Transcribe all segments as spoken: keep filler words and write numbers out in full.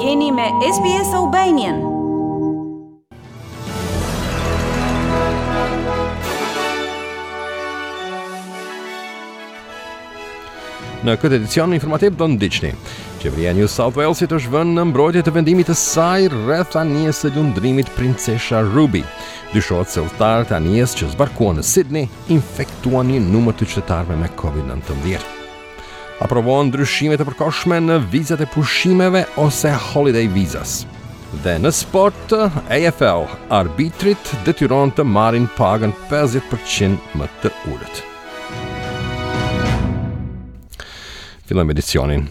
Jeni me S B S Albanian. Në këtë edicion informativ do ndiqni: Qeveria e New South Walesit është vënë në mbrojtje të vendimit të saj rreth anijes së lundrimit Princesha Ruby. Dyshohet se udhëtarët e anijes që zbarkuan në Sydney infektuan një numër të qytetarëve me COVID nëntëmbëdhjetë. Aprovohen ndryshimet e përkohshme në vizat e pushimeve ose holiday visas. Dhe në sport, A F L, arbitrit detyron të marrin pagën pesëdhjetë për qind më të ulët. Fillojmë edicionin.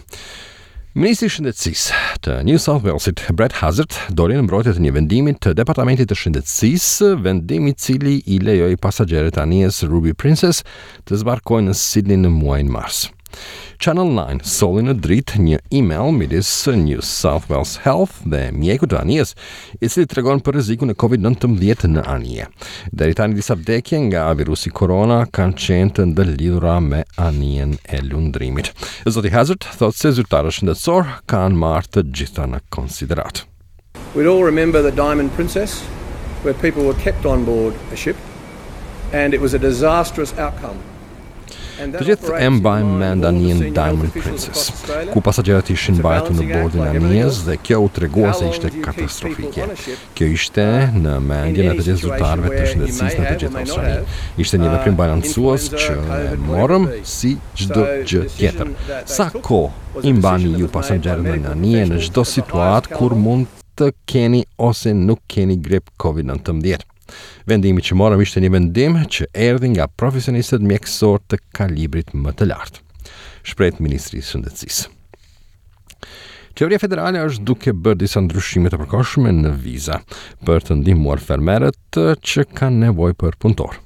Ministri i Shëndetësisë të New South Walesit, Brad Hazzard, doli në mbrojtje të një vendimi të Departamentit të Shëndetësisë, vendim i cili i lejoi pasagjerët e anijes Ruby Princess të zbarkojnë në Sydney në muajin mars. Channel nëntë solli në dritë një email midis New South Wales Health dhe mjekut të anijes, i cili tregon për rrezikun e COVID nëntëmbëdhjetë në anije. Deri tani disa vdekje nga virusi korona kanë qenë të ndërlidhura me anijen e lundrimit. Zoti Hazzard thotë se zyrtarët shëndetësor kanë marrë të gjitha në konsideratë. We'd all remember the Diamond Princess, where people were kept on board a ship, and it was a disastrous outcome. Të gjithë e mbajmë mend anijen Diamond Princess, ku pasagjerët ishin mbajtur në bordin e anijes dhe kjo u tregua se ishte katastrofike. Kjo ishte në mendjen e të gjithë zyrtarëve të shëndetësisë në të gjithë Australinë. Ishte një veprim balancues që e morëm si çdo gjë tjetër. Sa kohë i mbani ju pasagjerët në anije në çdo situatë kur mund të keni ose nuk keni grip COVID nëntëmbëdhjetë? Vendimi që morëm ishte një vendim që erdhi nga profesionistët mjekësor të kalibrit më të lartë, shprehet Ministri i Shëndetësisë. Qeveria federale është duke bërë disa ndryshime të përkohshme në viza për të ndihmuar fermerët që kanë nevojë për punëtor.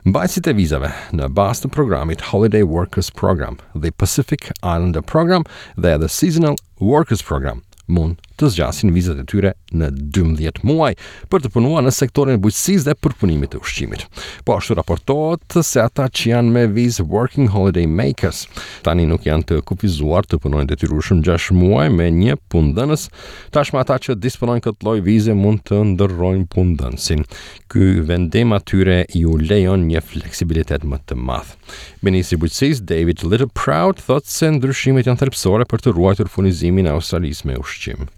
Mbajtësit e vizave në bazë të programit Holiday Workers Program, the Pacific Islander Program dhe the Seasonal Workers Program mund të zgjasin vizat e tyre në dymbëdhjetë muaj për të punuar në sektorin e bujqësisë dhe përpunimit të ushqimit. Po ashtu raportohet se ata që janë me vizë Working Holiday Makers tani nuk janë të kufizuar të punojnë detyrueshëm gjashtë muaj me një punëdhënës. Tashmë ata që disponojnë këtë lloj vize mund të ndërrojnë punëdhënësin. Ky vendim atyre ju lejon një fleksibilitet më të madh. Ministri i Bujqësisë David Littleproud thotë se ndryshimet janë thelbësore për të ruajtur furnizimin e Australisë me ushqim.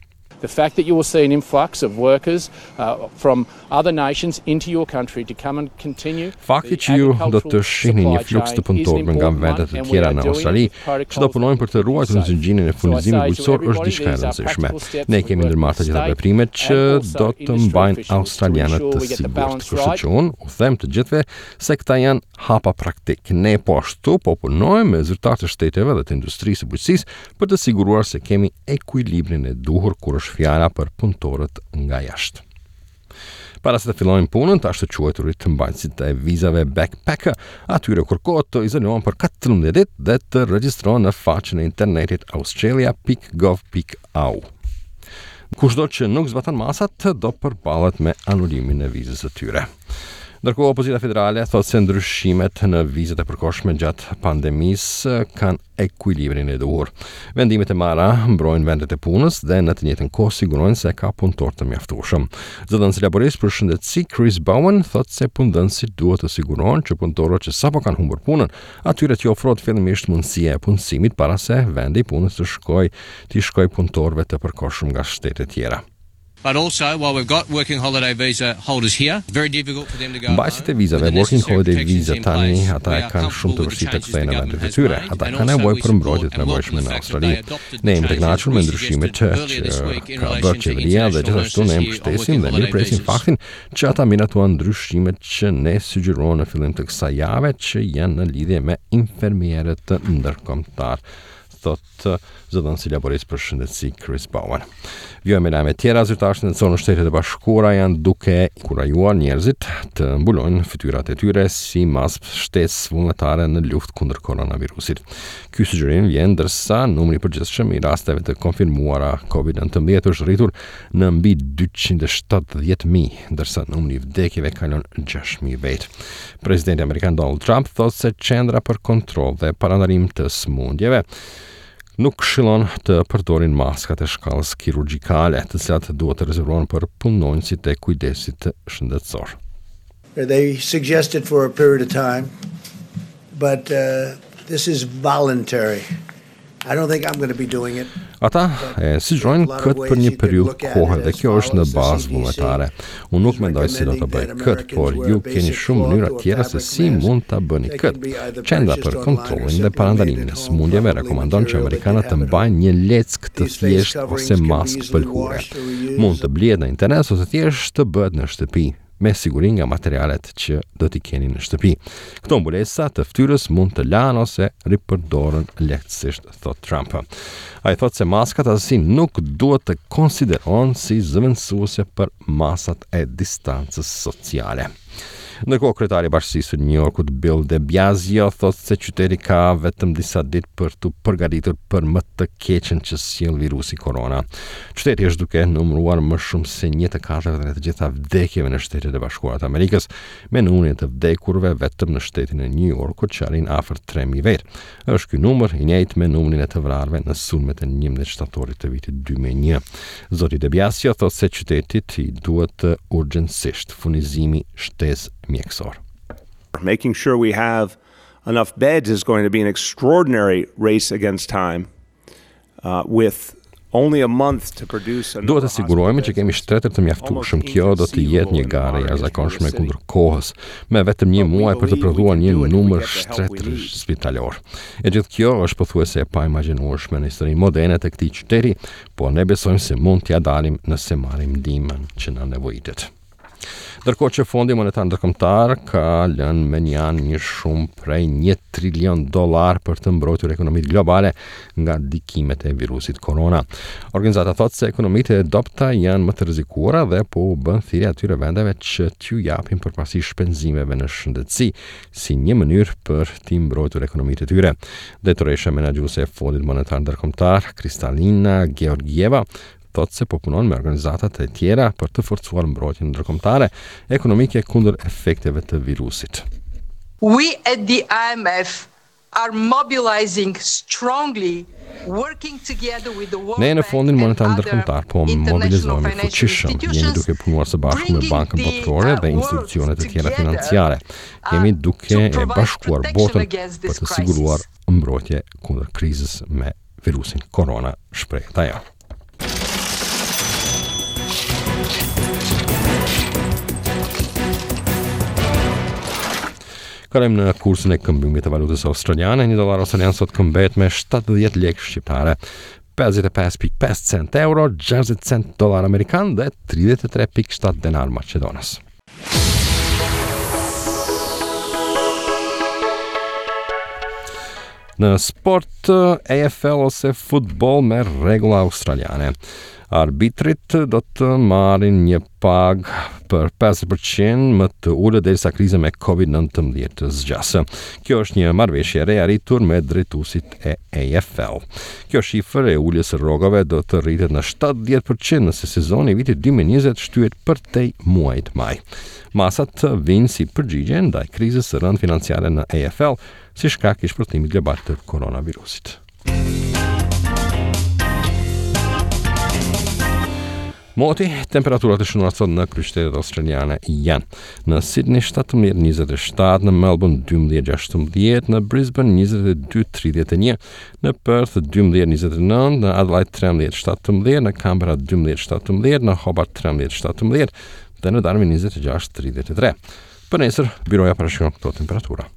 The fact that you will see an influx of workers uh, from other nations into your country to come and continue. Fakti që ju do të shihni një fluks të punëtorëve nga vende të tjera në Australi, që do punojnë për të ruajtur zinxhirin e furnizimit bujqësor, është diçka e rëndësishme. Ne kemi ndërmarrë të gjitha veprimet që do të mbajnë australianët të sigurt. Kështu që unë u them të gjithëve se këta janë hapa praktik. Ne po ashtu po punojmë me zyrtarë të shteteve dhe të industrisë së bujqësisë për të siguruar se kemi ekuilibrin e duhur kur është fjala për punëtorët nga jashtë. Para se të fillojnë punën, të ashtu quajturit mbajtësit e vizave backpacker, atyre kërkohet të izolohen për katërmbëdhjetë ditë dhe të regjistrohen në faqen e internetit australia pikë gov pikë au. Kushdo që nuk zbaton masat do përballet me anulimin e vizës së tyre. Ndërkohë, opozita federale thotë se ndryshimet në vizat e përkohshme gjatë pandemisë kanë ekuilibrin e duhur. Vendimet e marra mbrojnë vendet e punës dhe në të njëjtën kohë sigurojnë se ka punëtor të mjaftueshëm. Zëdhënësi laborist për shëndetësi Chris Bowen thotë se punëdhënësit duhet të sigurohen që punëtorët që sapo kanë humbur punën, atyre t'ju ofrohet fillimisht mundësia e punësimit para se vendi i punës të shkojë t'i shkojë punëtorëve të përkohshëm nga shtete tjera. But also, while we've got working holiday visa holders here, very difficult for them to go. Mbajtësit e vizave Working Holiday Visa tani ata e kanë shumë të vështirë të kthehen në vendet e tyre. Ata kanë nevojë për mbrojtje të nevojshme në Australi. Ne jemi të kënaqur me ndryshimet që, që ka bërë qeveria dhe gjithashtu ne mbështesim dhe mirëpresim faktin që ata miratuan ndryshimet që ne sugjeruam në fillim të kësaj jave, që janë në lidhje me infermierët ndërkombëtar, thot zëdhënësi laborist për shëndetësi Chris Bowen. Vijojmë me lajme tjera. Zyrtarë shëndetësor në Shtetet e Bashkuara janë duke kurajuar njerëzit të mbulojnë fytyrat e tyre si masë shtesë vullnetare në luftë kundër koronavirusit. Ky sugjerim vjen ndërsa numri i përgjithshëm i rasteve të konfirmuara COVID nëntëmbëdhjetë është rritur në mbi dyqind e shtatëdhjetë mijë, ndërsa numri i vdekjeve kalon gjashtë mijë vetë. Presidenti amerikan Donald Trump thotë se Qendra për Kontroll dhe Parandalim të Sëmundjeve nuk këshillon të përdorin maskat e shkallës kirurgjikale, të cilat duhet të rezervohen për punonjësit e kujdesit shëndetësor. They suggested for a period of time, but uh, this is voluntary. I don't think I'm going to be doing it. Ata e sugjerojnë këtë për një periudhë kohe dhe kjo është në bazë vullnetare. Unë nuk mendoj se do të bëj këtë, por ju keni shumë mënyra tjera se si mund ta bëni këtë. Qendra për kontrollin dhe parandalimin e sëmundjeve rekomandon që amerikanët të mbajnë një leckë të thjeshtë ose maskë pëlhure. Mund të blihet në internet ose thjesht të bëhet në shtëpi, me siguri nga materialet që do t'i keni në shtëpi. Këto mbulesa të fytyrës mund të lahen ose ripërdoren lehtësisht, thot Trump. Ai thot se maskat asesi nuk duhet të konsiderohen si zëvendësuese për masat e distancës sociale. Ndërkohë, kryetari i bashkisë së New Yorkut Bill de Blasio thotë se qyteti ka vetëm disa ditë për t'u përgatitur për më të keqen që sjell virusi korona. Qyteti është duke numëruar më shumë se një të katërtën e të gjitha vdekjeve në Shtetet e Bashkuara të Amerikës, me numrin e të vdekurve vetëm në shtetin e New Yorkut që arrin afër tre mijë vetë. Është ky numër i njëjtë me numrin e të vrarëve në sulmet e njëmbëdhjetë shtatorit të vitit dy mijë e një. Zoti de Blasio thotë se qytetit i duhet urgjentisht furnizimi shtesë mjekësor. Making sure we have enough beds is going to be an extraordinary race against time, uh, with only a month to produce another Duhet të sigurohemi që kemi shtretër të mjaftueshëm. Kjo do të jetë një garë e jashtëzakonshme kundër kohës, me vetëm një muaj për të prodhuar një numër shtretërsh spitalor. E gjithë kjo është pothuajse e paimagjinueshme në historinë moderne të këtij qyteti, por ne besojmë se mund t'ia dalim nëse marrim ndihmën që na nevojitet. Ndërkohë që Fondi Monetar Ndërkombëtar ka lënë me një anë një shumë prej një trilion dollar për të mbrojtur ekonomitë globale nga ndikimet e virusit korona. Organizata thotë se ekonomitë e dobëta janë më të rrezikuara dhe po u bën thirrje atyre vendeve që t'ju japin përparësi shpenzimeve në shëndetësi si një mënyrë për t'i mbrojtur ekonomitë e tyre. Drejtoresha menaxhuese e Fondit Monetar Ndërkombëtar, Kristalina Georgieva, thotë se po punon me organizatat e tjera për të forcuar mbrojtjen ndërkombëtare ekonomike kundër efekteve të virusit. We at the I M F are mobilizing strongly, working together with the World Ne në Bank Fondin and Monetar other Ndërkombëtar po international mobilizohemi financial fuqishëm, jemi institutions, duke punuar së bashku me bringing Bankën the, Botërore dhe uh, institucionet e tjera world financiare. together, Jemi uh, duke to e provide bashkuar protection botën against për this të siguruar crisis. mbrojtje kundër krizës me virusin korona, shprehet ajo. Kalojmë në kursin e këmbimit të valutës australiane. Një dollar australian sot këmbehet me shtatëdhjetë lekë shqiptare, pesëdhjetë e pesë pikë pesë cent euro, gjashtëdhjetë cent dollar amerikan dhe tridhjetë e tre pikë shtatë denar maqedonas. Në sport, A F L ose futboll me rregulla australiane. Arbitrit do të marrin një pagë për pesë përqind më të ulët derisa kriza me Covid nëntëmbëdhjetë të zgjasë. Kjo është një marrëveshje e re arritur me drejtuesit e A F L. Kjo shifër e uljes së rrogave do të rritet në shtatëdhjetë përqind nëse sezoni i vitit dy mijë e njëzet shtyhet përtej muajit maj. Masat vijnë si përgjigje ndaj krizës së rëndë financiare në A F L si shkak i shpërthimit global të koronavirusit. Moti, temperaturat e shënuara sot në kryeqytetet australiane janë në Sydney shtatëmbëdhjetë njëzet e shtatë, në Melbourne dymbëdhjetë gjashtëmbëdhjetë, në Brisbane njëzet e dy tridhjetë e një, në Perth dymbëdhjetë njëzet e nëntë, në Adelaide trembëdhjetë shtatëmbëdhjetë, në Canberra dymbëdhjetë shtatëmbëdhjetë, në Hobart trembëdhjetë shtatëmbëdhjetë dhe në Darwin njëzet e gjashtë tridhjetë e tre. Për nesër, biroja parashikon këto temperatura.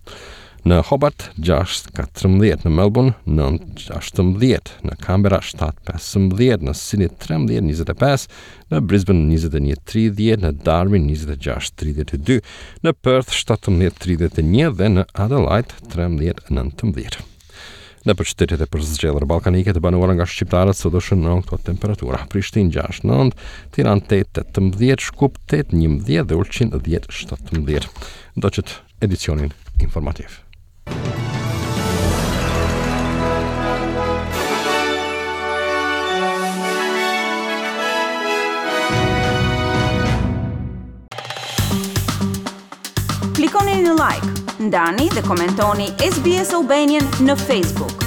Në Hobart gjashtë katërmbëdhjetë, në Melbourne nëntë gjashtëmbëdhjetë, në Canberra shtatë pesëmbëdhjetë, në Sydney trembëdhjetë njëzet e pesë, në Brisbane njëzet e një tridhjetë, në Darwin njëzet e gjashtë tridhjetë e dy, në Perth shtatëmbëdhjetë tridhjetë e një dhe në Adelaide trembëdhjetë nëntëmbëdhjetë. Në përqytetet e përzgjedhura ballkanike të banuara nga shqiptarët sot do shënohen këto temperatura: Prishtinë gjashtë nëntë, Tiranë tetë tetëmbëdhjetë, Shkup tetë njëmbëdhjetë dhe Ulqin dhjetë shtatëmbëdhjetë. Ndoqët edicionin informativ. Klikoni në like, ndani dhe komentoni S B S Albanian në Facebook.